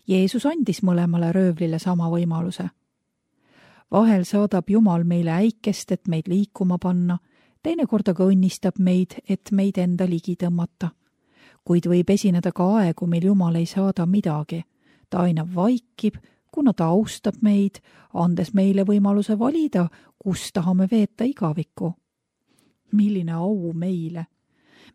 Jeesus andis mõlemale röövlile sama võimaluse. Vahel saadab Jumal meile äikest, et meid liikuma panna, teinekord aga õnnistab meid, et meid enda ligi tõmmata. Kuid võib esineda ka aegu, mil Jumal ei saada midagi. Ta aina vaikib, kuna ta austab meid, andes meile võimaluse valida, kus tahame veeta igavikku. Milline au meile!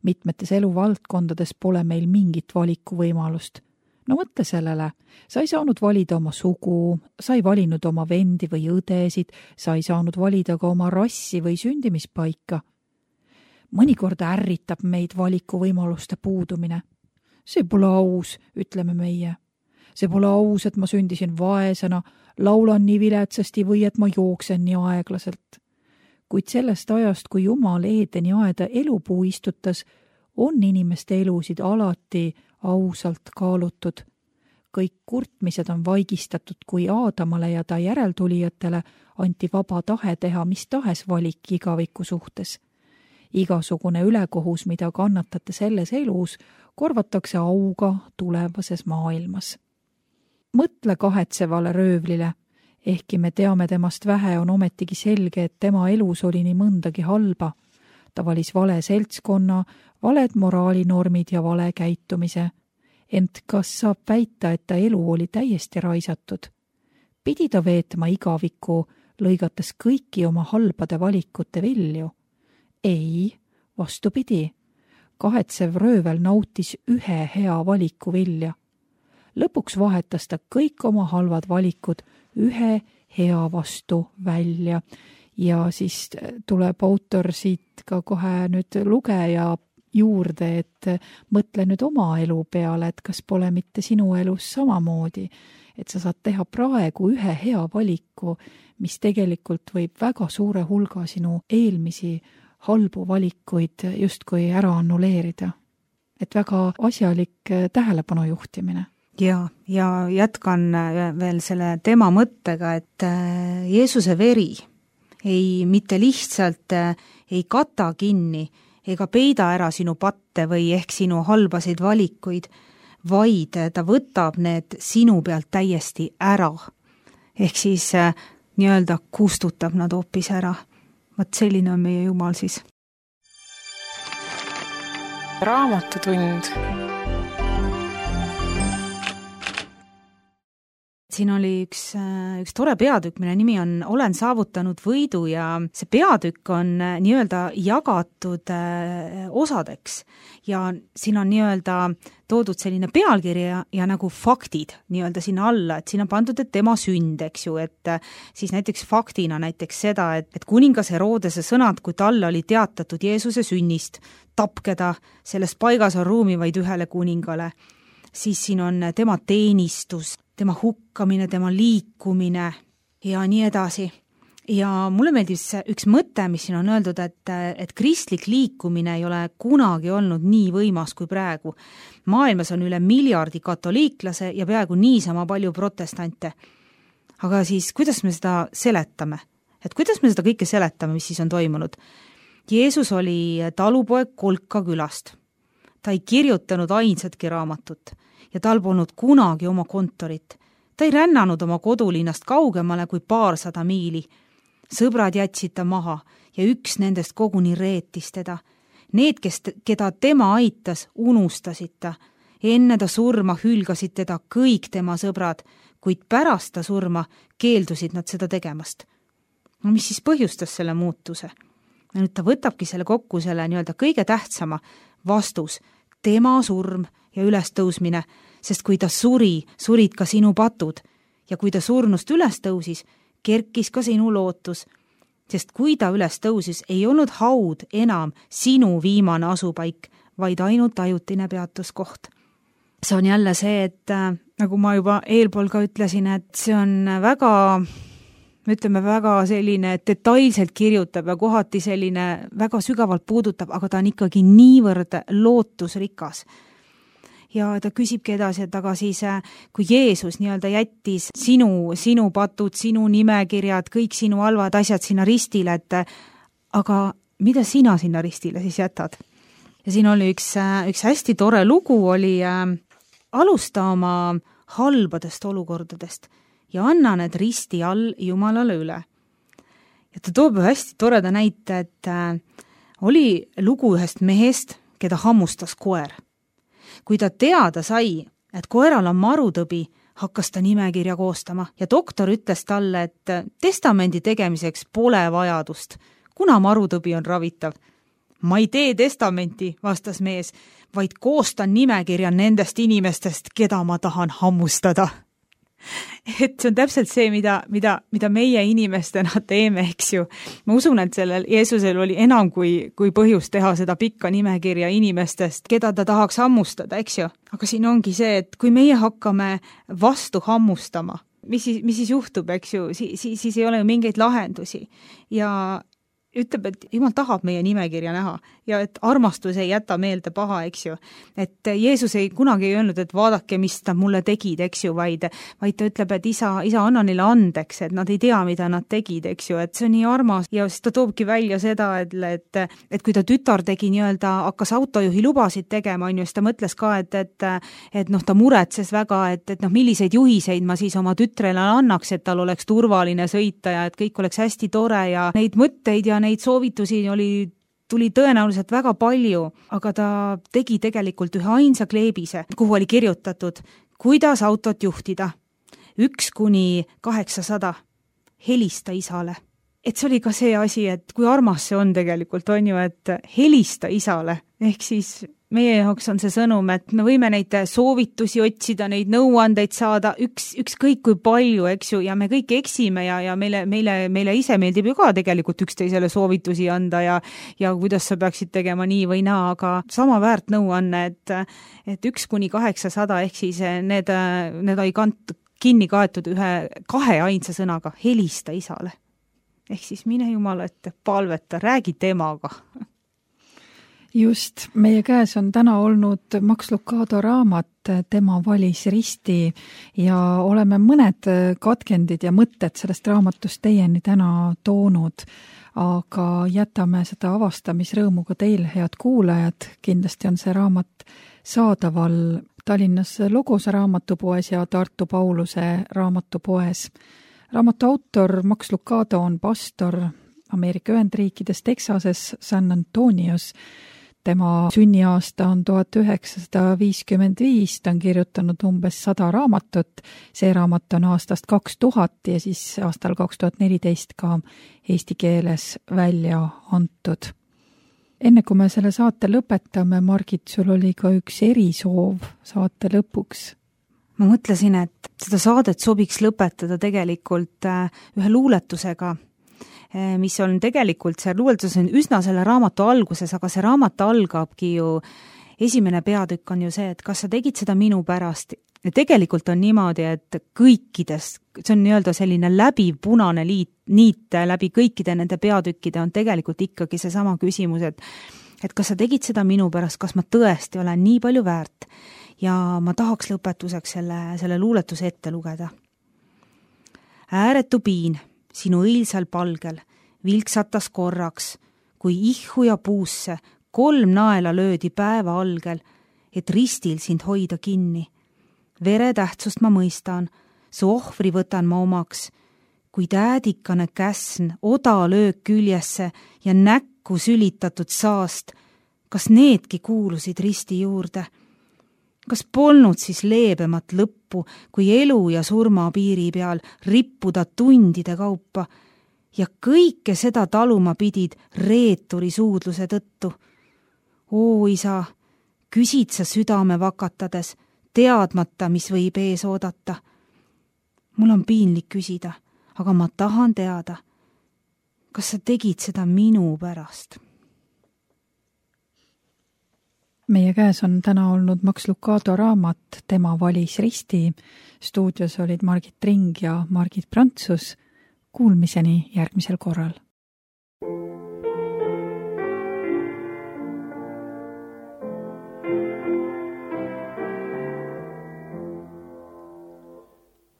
Mitmetes eluvaldkondades pole meil mingit valikuvõimalust. No mõtle sellele, sa ei saanud valida oma sugu, sa ei valinud oma vendi või õdesid, sa ei saanud valida ka oma rassi või sündimispaika. Mõnikord ärritab meid valikuvõimaluste puudumine. See pole aus, ütleme meie. See pole aus, et ma sündisin vaesena, laulan nii viletsasti või et ma jooksen nii aeglaselt. Kuid sellest ajast, kui Jumal Eedeni aeda elupuu istutas, on inimeste elusid alati ausalt kaalutud. Kõik kurtmised on vaigistatud, kui Aadamale ja ta järeltulijatele anti vaba tahe teha mis tahes valik igaviku suhtes. Igasugune ülekohus, mida kannatate selles elus, korvatakse auga tulevases maailmas. Mõtle kahetsevale röövlile. Ehkki me teame temast vähe, on ometigi selge, et tema elus oli nii mõndagi halba. Ta valis vale seltskonna, valed moraalinormid ja vale käitumise. Ent kas saab väita, et ta elu oli täiesti raisatud? Pidi ta veetma igaviku lõigates kõiki oma halbade valikute vilju. Ei, vastupidi, kahetsev röövel nautis ühe hea valiku vilja. Lõpuks vahetas ta kõik oma halvad valikud ühe hea vastu välja. Ja siis tuleb autor siit ka kohe nüüd lugeja juurde, et mõtle nüüd oma elu peale, et kas pole mitte sinu elus samamoodi, et sa saad teha praegu ühe hea valiku, mis tegelikult võib väga suure hulga sinu eelmisi halbu valikuid justkui ära annuleerida. Et väga asjalik tähelepanu juhtimine. Ja jätkan veel selle tema mõttega, et Jeesuse veri ei mitte lihtsalt ei kata kinni ega peida ära sinu patte või ehk sinu halbasid valikuid, vaid ta võtab need sinu pealt täiesti ära. Ehk siis nii-öelda kustutab nad hoopis ära. Vot selline on meie Jumal siis. Raamatutund. Siin oli üks tore peatükk, mille nimi on Olen saavutanud võidu ja see peatükk on nii-öelda jagatud osadeks ja siin on nii-öelda toodud selline pealkiri ja nagu faktid nii-öelda sinna alla, et siin on pandud, et tema sünd, eks ju, et siis näiteks faktina näiteks seda, et kuningas Herodese sõnad, kui talle oli teatatud Jeesuse sünnist, tapkeda, selles paigas on ruumi vaid ühele kuningale, siis siin on tema teenistus, tema hukkamine, tema liikumine ja nii edasi. Ja mulle meeldis üks mõte, mis siin on öeldud, et kristlik liikumine ei ole kunagi olnud nii võimas kui praegu. Maailmas on üle 1 miljardi katoliiklase ja peaaegu niisama palju protestante. Aga siis, kuidas me seda seletame? Et kuidas me seda kõike seletame, mis siis on toimunud? Jeesus oli talupoeg Kolka külast. Ta ei kirjutanud ainsatki raamatut ja tal polnud kunagi oma kontorit. Ta ei rännanud oma kodulinnast kaugemale kui 200 miili. Sõbrad jätsid ta maha ja üks nendest koguni reetis teda. Need, keda tema aitas, unustasid ta. Enne ta surma hülgasid teda kõik tema sõbrad, kuid pärast ta surma keeldusid nad seda tegemast. No mis siis põhjustas selle muutuse? Ja nüüd ta võtabki selle kokku selle nii-öelda kõige tähtsama vastus, tema surm ja ülestõusmine, sest kui ta surid ka sinu patud ja kui ta surnust üles tõusis, kerkis ka sinu lootus, sest kui ta üles tõusis, ei olnud haud enam sinu viimane asupaik, vaid ainult ajutine peatuskoht. See on jälle see, et nagu ma juba eelpool ka ütlesin, et see on väga selline detailselt kirjutab ja kohati selline väga sügavalt puudutab, aga ta on ikkagi niivõrd lootusrikas. Ja ta küsibki edasi, et aga siis, kui Jeesus nii-öelda jättis sinu patud, sinu nimekirjad, kõik sinu halvad asjad sinna ristile, et aga mida sina sinna ristile siis jätad? Ja siin oli üks hästi tore lugu, oli alusta oma halbadest olukordadest ja anna need risti all Jumalale üle. Ja ta toob hästi toreda näite, et oli lugu ühest mehest, keda hammustas koer. Kui ta teada sai, et koeral on marutõbi, hakkas ta nimekirja koostama ja doktor ütles talle, et testamendi tegemiseks pole vajadust, kuna marutõbi on ravitav. Ma ei tee testamenti, vastas mees, vaid koostan nimekirja nendest inimestest, keda ma tahan hammustada. Et see on täpselt see, mida meie inimestena teeme, eks ju. Ma usun, et sellel Jeesusel oli enam kui põhjus teha seda pikka nimekirja inimestest, keda ta tahaks hammustada, eks ju. Aga siin ongi see, et kui meie hakkame vastu hammustama, mis siis juhtub, eks ju, siis ei ole ju mingeid lahendusi. Ja ütleb, et Jumal tahab meie nimekirja näha ja et armastus ei jäta meelde paha, eks ju. Et Jeesus ei kunagi ei öelnud, et vaadake, mis ta mulle tegid, eks ju, vaid ta ütleb, et isa anna neile andeks, et nad ei tea, mida nad tegid, eks ju, et see on nii armas ja siis ta toobki välja seda, et kui ta tütar tegi nii-öelda, hakkas autojuhi lubasid tegema, on ju, siis ta mõtles ka, et ta muretses väga, et milliseid juhiseid ma siis oma tütrele annaks, et tal oleks turvaline sõita ja et kõik oleks hästi tore ja neid mõtteid ja neid soovitusi tuli tõenäoliselt väga palju, aga ta tegi tegelikult ühe ainsa kleebise, kuhu oli kirjutatud, kuidas autot juhtida. 1–800. helista isale. Et see oli ka see asi, et kui armas see on tegelikult, on ju, et helista isale, ehk siis meie jaoks on see sõnum, et me võime neid soovitusi otsida, neid nõuandeid saada, ükskõik kui palju, eks ju, ja me kõik eksime ja meile ise meeldib ju ka tegelikult üksteisele soovitusi anda ja kuidas sa peaksid tegema nii või naa, aga sama väärt nõuanne, et 1–800 ehk siis need ei kinni kaetud kahe ainsa sõnaga, helista isale. Ehk siis mine Jumala ette, palveta, räägi temaga. Just, meie käes on täna olnud Max Lucado raamat Tema valis risti ja oleme mõned katkendid ja mõtted sellest raamatust teieni täna toonud, aga jätame seda avastamisrõõmuga teil, head kuulajad. Kindlasti on see raamat saadaval Tallinnas Logosa raamatupoes ja Tartu Pauluse raamatupoes. Raamatu autor Max Lucado on pastor Ameerika Ühendriikides Texases San Antonios. Tema sünniaasta on 1955, ta on kirjutanud umbes 100 raamatut. See raamat on aastast 2000 ja siis aastal 2014 ka eesti keeles välja antud. Enne kui me selle saate lõpetame, Margit, sul oli ka üks erisoov saate lõpuks. Ma mõtlesin, et seda saadet sobiks lõpetada tegelikult ühe luuletusega, mis on tegelikult, see luuletus on üsna selle raamatu alguses, aga see raamat algabki ju, esimene peatükk on ju see, et kas sa tegid seda minu pärast. Ja tegelikult on niimoodi, et kõikidest, see on nii-öelda selline läbiv punane niit läbi kõikide nende peatükkide on tegelikult ikkagi see sama küsimus, et kas sa tegid seda minu pärast, kas ma tõesti olen nii palju väärt. Ja ma tahaks lõpetuseks selle luuletuse ette lugeda. Ääretu piin sinu õilsal palgel vilksatas korraks, kui ihhu ja puusse 3 naela löödi päeva algel, et ristil sind hoida kinni. Vere tähtsust ma mõistan, su ohvri võtan ma omaks, kui äädikane käsn oda löög küljesse ja näkku sülitatud saast, kas needki kuulusid risti juurde? Kas polnud siis leebemat lõppu, kui elu ja surma piiri peal rippuda tundide kaupa ja kõike seda taluma pidid reeturi suudluse tõttu? Oo isa, küsid sa südame vakatades, teadmata, mis võib ees oodata. Mul on piinlik küsida, aga ma tahan teada, kas sa tegid seda minu pärast? Meie käes on täna olnud Max Lucado raamat Tema valis risti. Stuudios olid Margit Ring ja Margit Prantsus. Kuulmiseni järgmisel korral.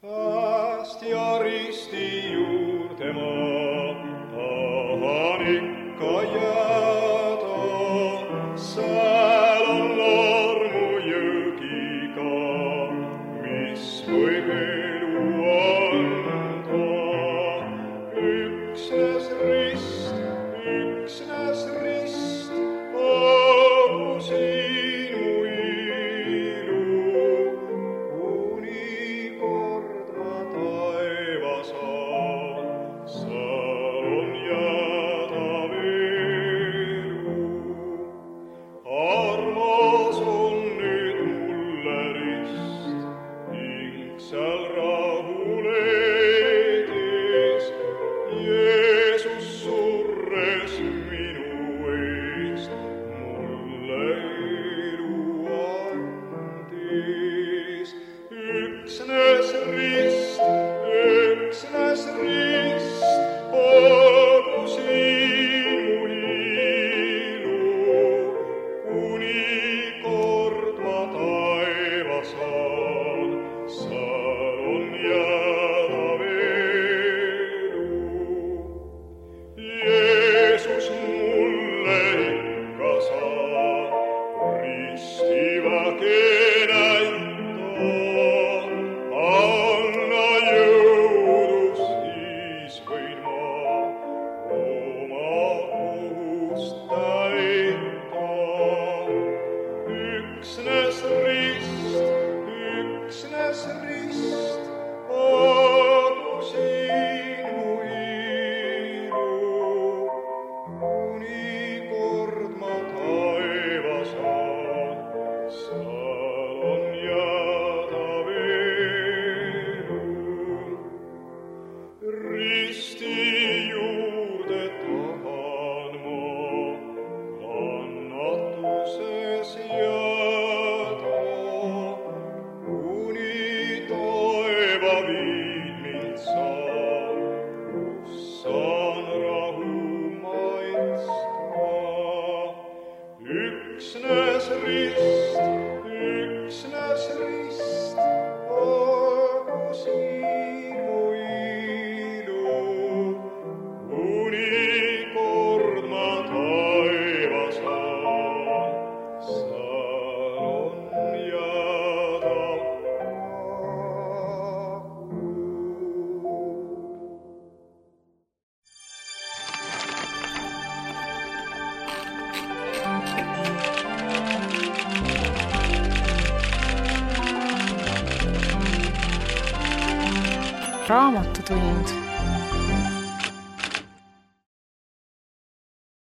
Pääst ja risti juurde ma tahan ikka jääda. Sääl on armu jõgiga, mis võib elu anda. Üksnes rist, olgu siin mu ilu, kuni korda taevas on, seal on jääda veel. raamatutund